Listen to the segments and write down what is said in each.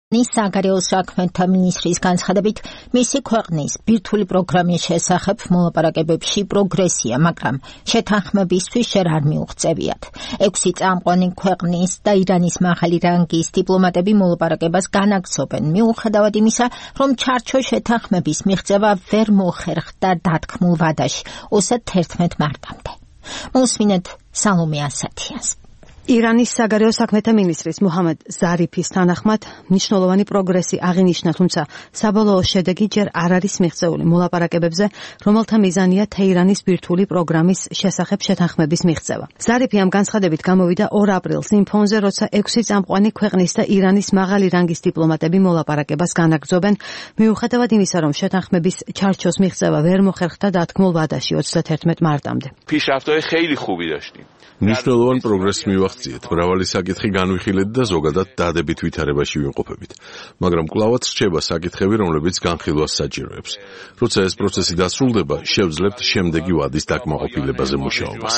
საგარეო საქმეთა მინისტრის განცხადებით, მისი ქვეყნის ბირთვული პროგრამის შესახებ მოლაპარაკებებში პროგრესია, მაგრამ შეთანხმებისთვის ჯერ არ მიუღწევიათ. 6 წამყვანი ქვეყნის და ირანის მაღალი რანგის დიპლომატები მოლაპარაკებას განაგრძობენ, მიუხედავად იმისა, რომ ჩარჩო შეთანხმების მიღწევა ვერ მოხერხდა დათქმულ ვადაში 31 მარტამდე. მოსმინეთ სალომე ასათიანს. ირანის საგარეო საქმეთა მინისტრის მუჰამედ ზარიფის თანახმად მნიშვნელოვანი პროგრესი აღინიშნა, თუმცა საბოლოო შედეგი ჯერ არ არის მიღწეული მოლაპარაკებებზე, რომელთა მიზანია თეირანის ბირთვული პროგრამის შესახებ შეთანხმების მიღწევა. ზარიფი ამ განცხადებით გამოვიდა 2 აპრილს იმ ფონზე, როცა 6 წამყვანი ქვეყნის და ირანის მაღალი რანგის დიპლომატები მოლაპარაკებას განაგრძობენ, მიუხედავად იმისა, რომ შეთანხმების ჩარჩოს მიღწევა ვერ მოხერხდა დათქმულ ვადაში 31 მარტამდე. پیشرفت‌های خیلی خوبی داشتیم. მნიშვნელოვან პროგრესს მივახციეთ, მრავალი საკითხი განვიხილეთ და ზოგადად დადებით ვითარებაში ვიმყოფებით. მაგრამ კვლავაც რჩება საკითხები, რომლებიც განხილვას საჭიროებს. როცა ეს პროცესი დასრულდება, შევძლებთ შემდეგი ვადის დაკმაყოფილებაზე მუშაობას.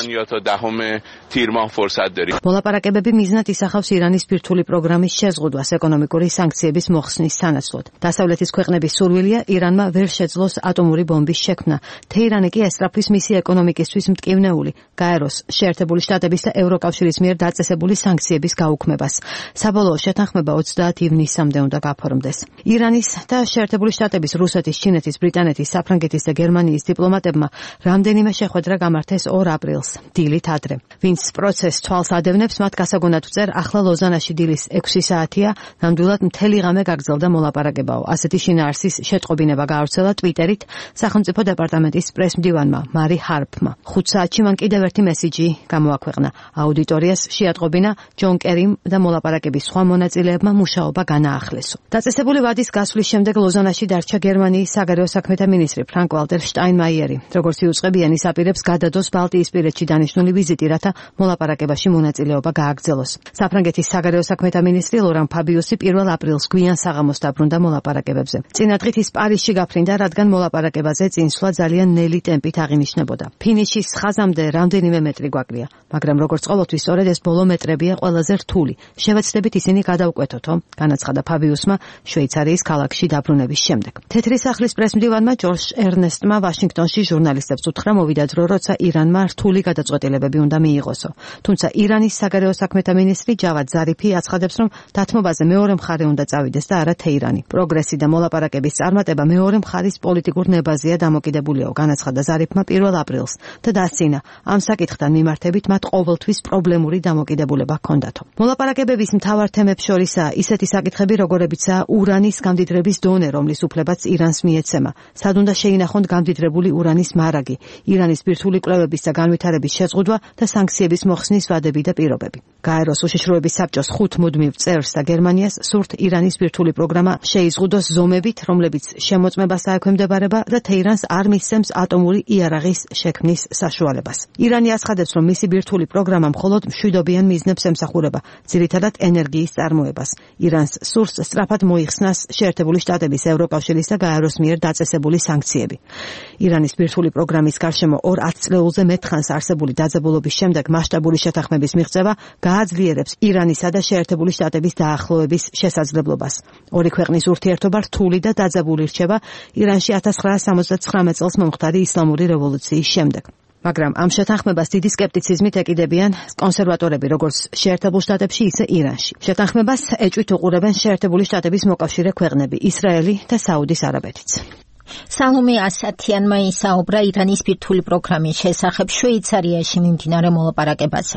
მოლაპარაკებები მიზნად ისახავს ირანის ბირთვული პროგრამის შეზღუდვას ეკონომიკური სანქციების მოხსნის სანაცვლოდ. დასავლეთის ქვეყნების სურვილია ირანმა ვერ შეძლოს ატომური ბომბის შექმნა. თეირანი კი ესწრაფვის მისი ეკონომიკისთვის მტკივნეული, გაეროს, შეერთებული შტატების და ევროკავშირის მიერ დაწესებული სანქციების გაუქმებას. საბოლოო შეთანხმება 30 ივნისამდე უნდა გაფორმდეს. ირანის და შეერთებული შტატების, რუსეთის, ჩინეთის, ბრიტანეთის, საფრანგეთის და გერმანიის დიპლომატებმა რამდენიმე შეხვედრა გამართეს 2 აპრილს, დილით ადრე. ვინც პროცესს თვალს ადევნებს, მათ გასაგონად ვწერ, ახლა ლოზანაში დილის 6 საათია, ნამდვილად მთელი ღამე გაგრძელდა მოლაპარაკებაო. ასეთი შინაარსის შეტყობინება გაავრცელა ტვიტერით სახელმწიფო დეპარტამენტის პრესმდივანმა მარი ჰარპმა. 5 საათში მან კიდევ ერთი მესიჯი გამოაქვეყნა. აუდიტორიას შეატყობინა ჯონ კერიმ და მოლაპარაკების სხვა მონაწილეებმა მუშაობა განაახლესო. დაწესებული ვადის გასვლის შემდეგ ლოზანაში დარჩა გერმანიის საგარეო საქმეთა მინისტრი ფრანკ ვალტერ შტაინმაიერი. როგორც იუწყებიანი ის აპირებს გადადოს ბალტიისპირეთში დანიშნული ვიზიტი, რათა მოლაპარაკებაში მონაწილეობა გააგრძელოს. საფრანგეთის საგარეო საქმეთა მინისტრი ლორან ფაბიუსი 1 აპრილს გვიან საღამოს დაბრუნდა მოლაპარაკებებზე. წინა დღით ის პარიზში გაფრინდა, რადგან მოლაპარაკებაზე წინსვლა ძალიან ნელი ტემპით აღინიშნებოდა. ფინიშის ხაზამდე რამდენიმე მეტრი გვაკლია, მაგრამ როგორც ყოველთვის სწორედ ეს ბოლო მეტრებია ყველაზე რთული. შევეცდებით ისინი გადავკვეთოთო, განაცხადა ფაბიუსმა შვეიცარიის ქალაქში დაბრუნების შემდეგ. თეთრი სახლის პრესმდივანმა ჯორჟ ერნესტმა ვაშინგტონში ჟურნალისტებს უთხრა მოვიდა დრო, როცა ირანმა რთული გადაწყვეტილებები უნდა მიიღოსო. თუმცა ირანის საგარეო საქმეთა მინისტრი ჯავად ზარიფი აცხადებს, რომ დათმობაზე მეორე მხარე უნდა წავიდეს და არა თეირანი. პროგრესი და მოლაპარაკების წარმატება მეორე მხარის პოლიტიკურ ნებაზეა დამოკიდებულიო, განაცხადა ზარიფმა 1 აპრილს და დასცინა, ამ საკითხთან მიმართებით მათ ყოველთვის პრობლემური დამოკიდებულება ჰქონდათო. მოლაპარაკებების მთავარ თემებს შორისაა ისეთი საკითხები, როგორებიცაა ურანის გამდიდრების დონე, რომლის უფლებაც ირანს მიეცემა, სად უნდა შეინახონ გამდიდრებული ურანის მარაგი, ირანის ბირთვული კვლევების და განვითარების შეზღუდვა და სანქციების მოხსნის ვადები და პირობები. გაეროს უშიშროების საბჭოს 5 მუდმივ წევრს და გერმანიას სურთ ირანის ბირთვული პროგრამა შეიზღუდოს ზომებით, რომლებიც შემოწმებას აექვემდებარება და თეირანს არ მისცემს ატომური იარაღის შექმნის საშუალებას. ირანი აცხადებს, რომ მისი ბირთვული პროგრამა მხოლოდ მშვიდობიან მიზნებს ემსახურება, ძირითადად ენერგიის წარმოებას. ირანს სურს სწრაფად მოიხსნას შეერთებული შტატების, ევროკავშირის და გაეროს მიერ დაწესებული სანქციები. ირანის ბირთვული პროგრამის გარშემო 2 ათწლეულზე მეტხანს არსებული დაძაბულობის შემდეგ მასშტაბური შეთანხმების მიღწევა გააძლიერებს ირანისა და შეერთებული შტატების დაახლოების შესაძლებლობას. ორი ქვეყნის ურთიერთობა რთული და დაძაბული რჩება ირანში 1979 წელს მომხდარი ისლამური რევოლუციის შემდეგ. მაგრამ ამ შეთანხმებას დიდი სკეპტიციზმით ეკიდებიან კონსერვატორები, როგორც შეერთებულ შტატებში, ისე ირანში. შეთანხმებას ეჭვით უყურებენ შეერთებული შტატების მოკავშირე ქვეყნები, ისრაელი და საუდის არაბეთიც. სალომე ასათიანმა ისაუბრა ირანის ბირთვული პროგრამის შესახებ შვეიცარიაში მიმდინარე მოლაპარაკებაზე.